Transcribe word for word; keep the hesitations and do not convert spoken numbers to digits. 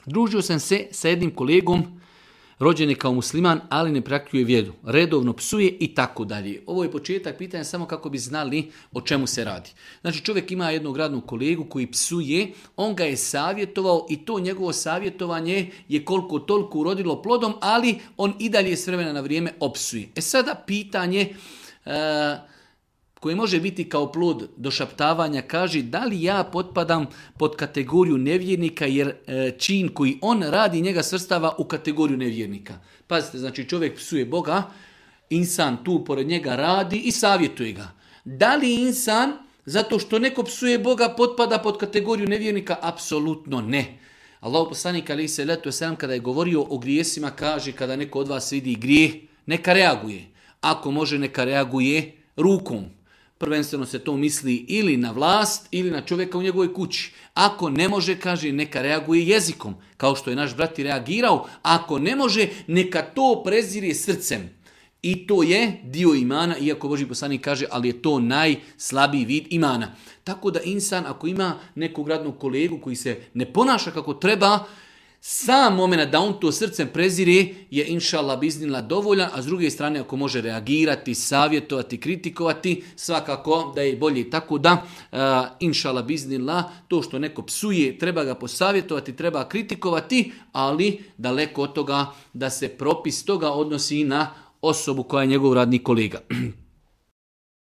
Družio sam se sa jednim kolegom, rođen je kao musliman, ali ne praktikuje vjeru. Redovno psuje i tako dalje. Ovo je početak pitanja samo kako bi znali o čemu se radi. Znači čovjek ima jednog radnog kolegu koji psuje, on ga je savjetovao i to njegovo savjetovanje je koliko toliko urodilo plodom, ali on i dalje s vremena na vrijeme opsuje. E sada pitanje e, koje može biti kao plod došaptavanja kaže da li ja potpadam pod kategoriju nevjernika jer e, čin koji on radi njega svrstava u kategoriju nevjernika. Pazite, znači čovjek psuje Boga, insan tu pored njega radi i savjetuje ga. Da li insan zato što neko psuje Boga potpada pod kategoriju nevjernika? Apsolutno ne. Allahu poslanik alejhi selatu vesselam kada je govorio o grijesima kaže kada neko od vas vidi grijeh neka reaguje. Ako može neka reaguje rukom. Prvenstveno se to misli ili na vlast ili na čovjeka u njegovoj kući. Ako ne može, kaže, neka reaguje jezikom, kao što je naš brat i reagirao. Ako ne može, neka to prezire srcem. I to je dio imana, iako Božji poslanik kaže, ali je to najslabiji vid imana. Tako da insan, ako ima nekog radnog kolegu koji se ne ponaša kako treba, sam moment da on to srcem prezire je inšallah biznila dovoljan, a s druge strane ako može reagirati, savjetovati, kritikovati, svakako da je bolje. Tako da uh, inšallah biznila to što neko psuje treba ga posavjetovati, treba kritikovati, ali daleko od toga da se propis toga odnosi na osobu koja je njegov radni kolega.